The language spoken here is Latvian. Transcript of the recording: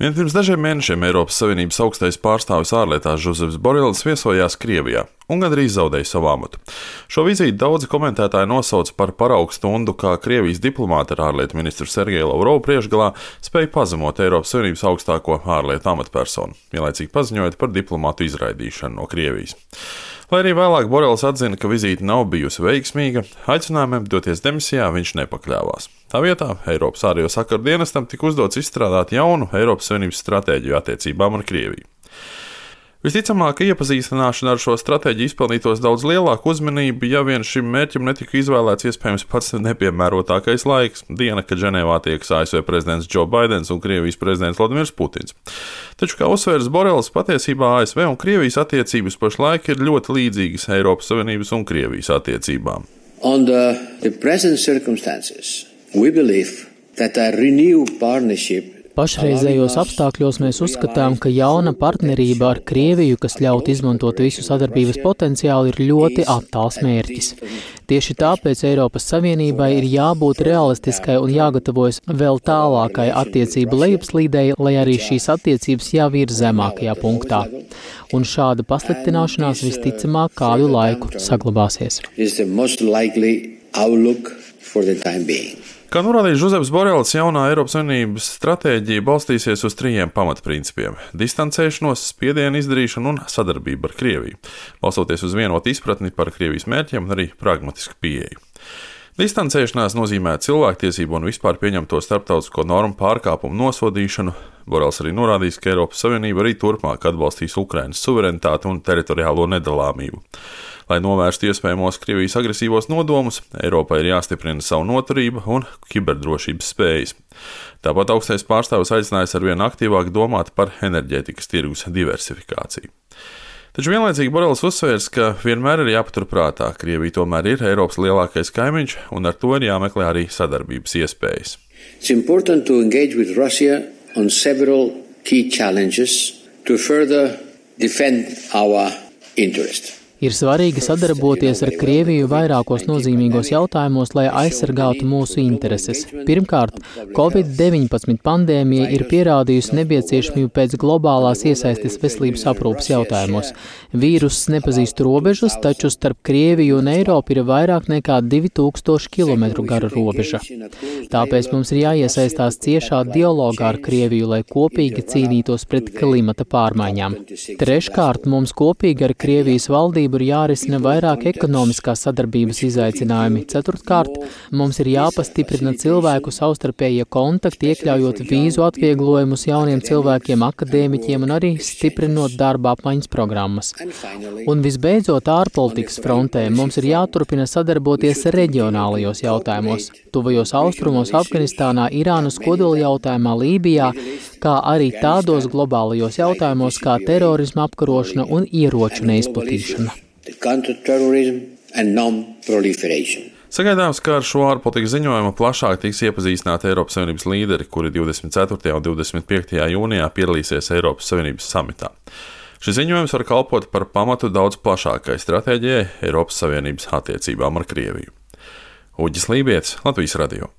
Vien pirms dažiem mēnešiem Eiropas Savienības augstais pārstāvis ārlietās Žozefs Borels viesojās Krievijā un gandrīz zaudēja savu amatu. Šo vizīti daudzi komentētāji nosauca par paraugu stundu, kā Krievijas diplomāti ar ārlietu ministru Sergeju Lavrovu priekšgalā spēja pazemot Eiropas Savienības augstāko ārlietu amatpersonu, vienlaicīgi paziņojot par diplomātu izraidīšanu no Krievijas. Lai arī vēlāk Borels atzina, ka vizīte nav bijusi veiksmīga, aicinājumiem doties demisijā viņš nepakļāvās. Tā vietā Eiropas ārējo sakaru dienestam tika uzdots izstrādāt jaunu Eiropas Savienības stratēģiju attiecībām ar Krieviju. Visticamāk, ka iepazīstināšana ar šo stratēģiju izpelnītos daudz lielāku uzmanību, ja vien šim mērķim netika izvēlēts iespējams pats nepiemērotākais laiks - diena, kad Ženēvā tiekas ASV prezidents Džo Baidens un Krievijas prezidents Vladimirs Putins. Taču, kā uzsvērs Borels, patiesībā ASV un Krievijas attiecības pašlaik ir ļoti līdzīgas Eiropas Savienības un Krievijas attiecībām. Under the present circumstances, we believe that a renewed partnership. Pašreizējos apstākļos mēs uzskatām, ka jauna partnerība ar Krieviju, kas ļaut izmantot visu sadarbības potenciālu, ir ļoti attāls mērķis. Tieši tāpēc Eiropas Savienībai ir jābūt realistiskai un jāgatavojas vēl tālākai attiecību lejupslīdei, lai arī šīs attiecības jau ir zemākajā punktā. Un šāda pasliktināšanās visticamāk kādu laiku saglabāsies. Kā norādīja Žozefs Borels, jaunā Eiropas Savienības stratēģija balstīsies uz 3 pamatprincipiem - distancēšanos, spiedienu izdarīšanu un sadarbību ar Krieviju, balstoties uz vienotu izpratni par Krievijas mērķiem un arī pragmatisku pieeju. Distancēšanās nozīmē cilvēktiesību un vispār pieņemto starptautisko normu pārkāpumu nosodīšanu. Borels arī norādījis, ka Eiropas Savienība arī turpmāk atbalstīs Ukrainas suverenitāti un teritoriālo nedalāmību. Lai novērstu iespējamos Krievijas agresīvos nodomus, Eiropai ir jāstiprina savu noturību un kiberdrošības spējas. Tāpat augstais pārstāvis aicinājis arvien aktīvāk domāt par enerģētikas tirgus diversifikāciju. Taču vienlaicīgi Borels uzsvērs, ka vienmēr ir jāpaturprātā, Krievija tomēr ir Eiropas lielākais kaimiņš, un ar to ir jāmeklē arī sadarbības iespējas. It's important to engage with Russia on several key challenges to further defend our interest. Ir svarīgi sadarboties ar Krieviju vairākos nozīmīgos jautājumos, lai aizsargātu mūsu intereses. Pirmkārt, Covid-19 pandēmija ir pierādījusi nepieciešamību pēc globālās iesaistes veselības aprūpes jautājumos. Vīruss nepazīst robežas, taču starp Krieviju un Eiropu ir vairāk nekā 2000 km gara robeža. Tāpēc mums ir jāiesaistās ciešā dialogā ar Krieviju, lai kopīgi cīnītos pret klimata pārmaiņām. Treškārt, mums kopīgi ar Krievijas valdību ir jārisina vairāk ekonomiskās sadarbības izaicinājumi. Ceturtkārt, mums ir jāpastiprina cilvēku savstarpējie kontakti, iekļaujot vīzu atvieglojumus jauniem cilvēkiem, akadēmiķiem un arī stiprinot darba apmaiņas programmas. Un visbeidzot, ārpolitikas frontē mums ir jāturpina sadarboties reģionālajos jautājumos, tuvajos austrumos, Afganistānā, Irānas kodola jautājumā, Lībijā, kā arī tādos globālajos jautājumos kā terorisma apkarošana un ieroču neizplatīšana. Sagaidāms, ka ar šo ārpolitikas ziņojumu plašāk tiks iepazīstināti Eiropas Savienības līderi, kuri 24. un 25. jūnijā piedalīsies Eiropas Savienības samitā. Šis ziņojums var kalpot par pamatu daudz plašākai stratēģijai Eiropas Savienības attiecībām ar Krieviju. Uģis Lībietis, Latvijas radio.